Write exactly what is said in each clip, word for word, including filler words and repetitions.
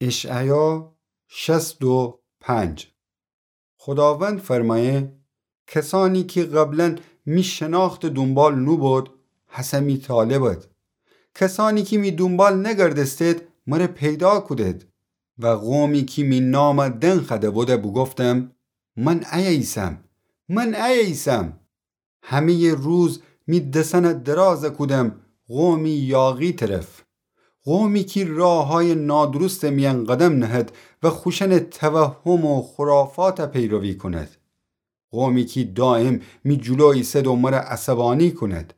اشعیا شصت و پنج. خوداوند فرمایه: کسانی کی قبلاً می شناختٚ دونبال نوبود، هسه می طالبد. کسانی کی می دونبال نگردستید، مره پیدا کودید. و قومی کی می نام دنخوأده بوده بوگفتم: من ایه ایسم، من ایه ایسم. همه‌یٚ روز می دسأنه دراز کودم قومی یاغی طرف، قومی کی راهأیٚ نادرستٚ میأن قدم نهد و خوشأنٚ توهم و خرافات پیروی کونید. قومی کی دایم می جلو ایسد و مره عصبانی کونید.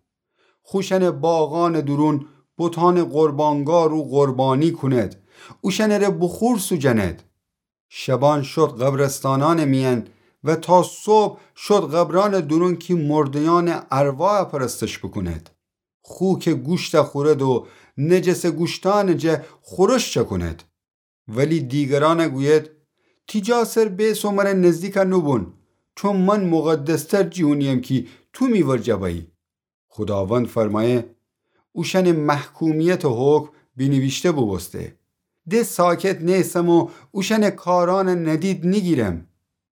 خوشأنٚ باغأنٚ دورون بتأنٚ قربانگاه رو قربانی کونید. اوشأنٚ ره بخور سوجنید. شبان شد قبرستانأنٚ میأن و تا صبح شد قبرأنٚ دورون کی مرده‌یأنٚ ارواح پرستش بوکونید. خوکٚ گوشت خورد و نجسٚ گوشتأنٚ جا خورش چکونید. ولی دیگرأنه گوید: تی جا سر بیس و مره نزدیک نوبون، چون من مقدستر جیونیم کی تو می ورجه بأیی. خوداوند فرمایه: اوشأنٚ محکومیتٚ حکم بینیویشته بوبوسته. د ساکت نیسم و اوشأنٚ کارأنه ندید نیگیرم.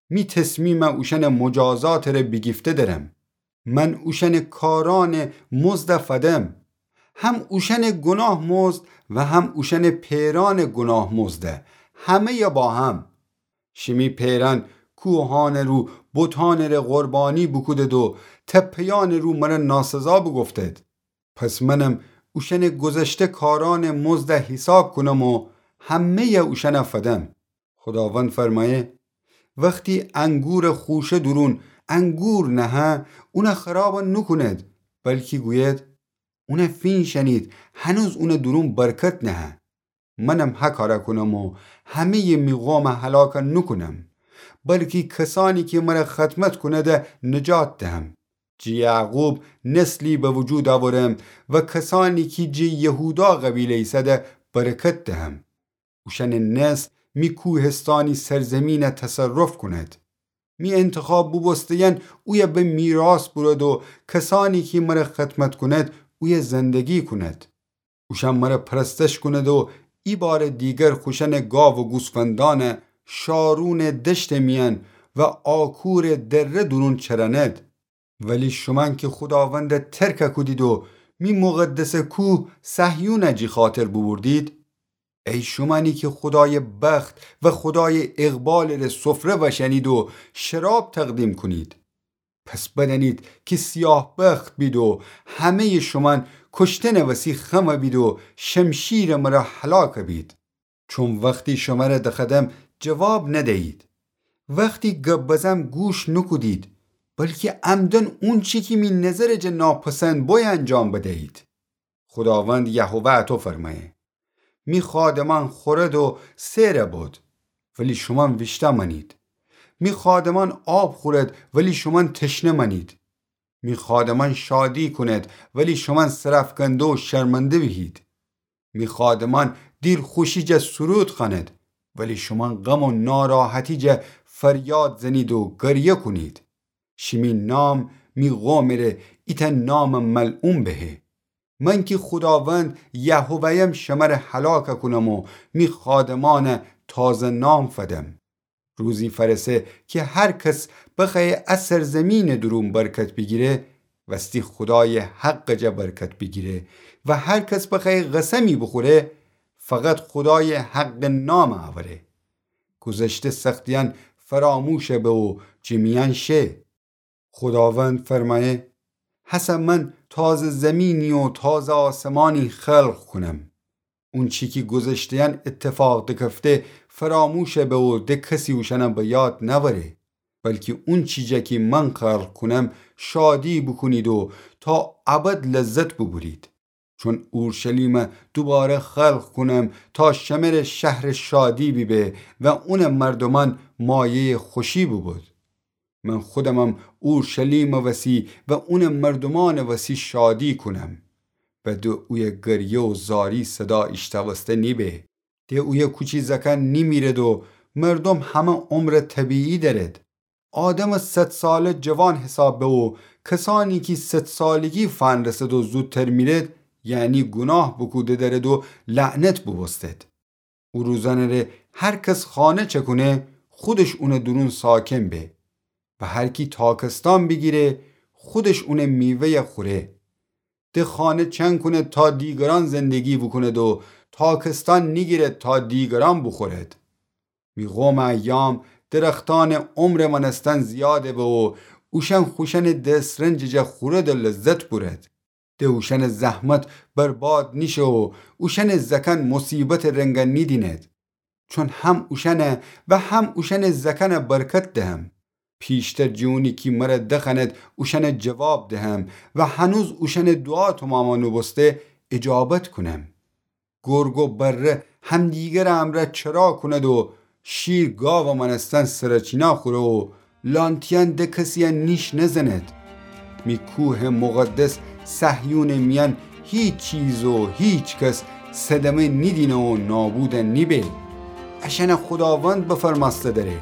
می تصمیم اوشأنٚ مجازاتٚ ره بیگیفته درم. من اوشأنٚ کارأنٚ مزد فدم، هم اوشأنٚ گوناه مزد و هم اوشأنٚ پئرأنٚ گوناه مزد، همه‌ی با هم. شیمی پئرأن کوهأنٚ رو بتأنٚ ره قربانی بوکودید و تپه‌یأنٚ رو مره ناسزا بوگفتید. پس منم اوشأنٚ گذشته کارأنٚ مزد حیساب کونم و همه‌ی اوشأنه فدم. خوداوند فرمایه: وختی انگورٚ خوشه دورون انگور نهه، اونه خراب نوکونید، بلکی گوید: اونه فینشأنید، هنوز اونٚ دورون برکت نهه. منم هکاره کونم و همه‌ی می قومه هلاک نوکونم، بلکی کسأنی کی مره خدمت کونده نجات دهم. جٚه یعقوب نسلی به وجود اورم و کسأنی کی جٚه یهودا قبیله ایسده برکت دهم. اوشأنٚ نسل می کوهستانی سرزمینه تصرف کونید. می انتخاب بوبوسته‌یأن اویه به میراث بورد و کسأنی کی مره خدمت کونید اویه زندگی کونید. اوشأن مره پرستش کونید و ایبارٚ دیگر خوشأنٚ گاو و گوسفندأنه شارونٚ دشتٚ میأن و آکورٚ دره دورون چرأنید. ولی شومأن کی خوداونده ترک کودید و می مقدسٚ کوه صهیونه جٚه خاطر بوبوردید، ای شومأنی کی خودایٚ بخت و خودایٚ اقبالٚ ره سفره وشأنید و شراب تقدیم کونید، پس بدأنید کی سیاه بخت بید و همه‌یٚ شومأن کشتنٚ وسی خم بید و شمشیرٚ مره هلاک بید. چون وختی شمره دخدم جواب ندیید، وختی گب بزم گوش نوکودید، بلکی عمداً اونچی کی می نظرٚ جا ناپسند بویه انجام بدیید. خوداوند یهوه اطو فرمایه: می خادمأن خورد و سئر بود، ولی شومأن ویشتأ مأنید. می خادمأن آب خورد، ولی شومأن تشنه مأنید. می خادمأن شادی کونید، ولی شومأن سرأفکنده و شرمنده بیهید. می خادمأن دیلخوشی جا سرود خوأنید، ولی شومأن غم و ناراحتی جا فریاد زنید و گریه کونید. شیمی نام می قومٚ ره ایتأ نامٚ ملعون بهه. من کی خوداوند یهوه‌یم شمره هلاک کونم و می خادمأنه تازه نام فدم. روزی فأرسه کی هر کس بخوأیه ا سرزمینٚ دورون برکت بیگیره، وستی خودایٚ حقٚ جا برکت بیگیره و هر کس بخوأیه قسمی بوخوره، فقط خودایٚ حقٚ نام اوره. گذشته سختیأن فراموش به و جٚه میأن شه. خوداوند فرمایه: هسه من تازه زمینی و تازه آسمانی خلق کونم. اونچی کی گذشته‌یأن ایتفاق دکفته فراموش به و د کسی اوشأنه به یاد نأوره، بلکی اونچی جا کی من خلق کونم شادی بوکونید و تا ابد لذت بوبورید. چون اورشلیمه دوباره خلق کونم تا شمره شهرٚ شادی بیبه و اونٚ مردومأن مایه‌یٚ خوشی بوبود. من خودمم اورشلیمٚ وسی و اونٚ مردومأنٚ وسی شادی کونم. و د اویه گریه و زاری صدا ایشتأوسته نیبه. د اویه کوچی زأکأن نیمیرد و مردوم همه عمرٚ طبیعی دأرد. آدمٚ صد ساله جوان حساب به و کسأنی کی صد سالگی فنرسد و زودتر میرد، یعنی گوناه بوکوده دأرد و لعنت بوبوستد. او روزأنٚ ره هر کس خانه چکونه، خودش اونٚ دورون ساکن به. و هر کی تاکستان بیگیره، خودش اونٚ میوه‌یَ خوره. ده خانه چنکونه تا دیگرأن زندگی بوکوند و تاکستان نیگیرد تا دیگرأن بوخورد. می قومٚ ایام درختأنٚ عمرٚ مأنستن زیاده به و اوشأن خوشأنٚ دسرنجٚ جا خورد و لذت بورد. ده اوشأنٚ زحمت برباد نیشه و اوشأنٚ زأکأن مصیبتٚ رنگأ نیدیند. چون هم اوشأنَ و هم اوشأنٚ زأکأنَ برکت دهم. پیشتر جٚه اونی کی مرَ دخوأند اوشأنَ جواب دهم و هنوز اوشأنٚ دوعا تومامَ نوبوسته اجابت کونم. گرگ و بره همدیگرٚ امرأ چرا کوند و شیر گاوٚ مأنستن سرچینا خوره و لانتیأن ده کسی‌یَ نیش نزند. می کوهٚ مقدس صهیونٚ میأن هیچ چیز و هیچ کس صدمه نیدینه و نابودَ نیبه. اشأنَ خوداوند بفرمأسته دره.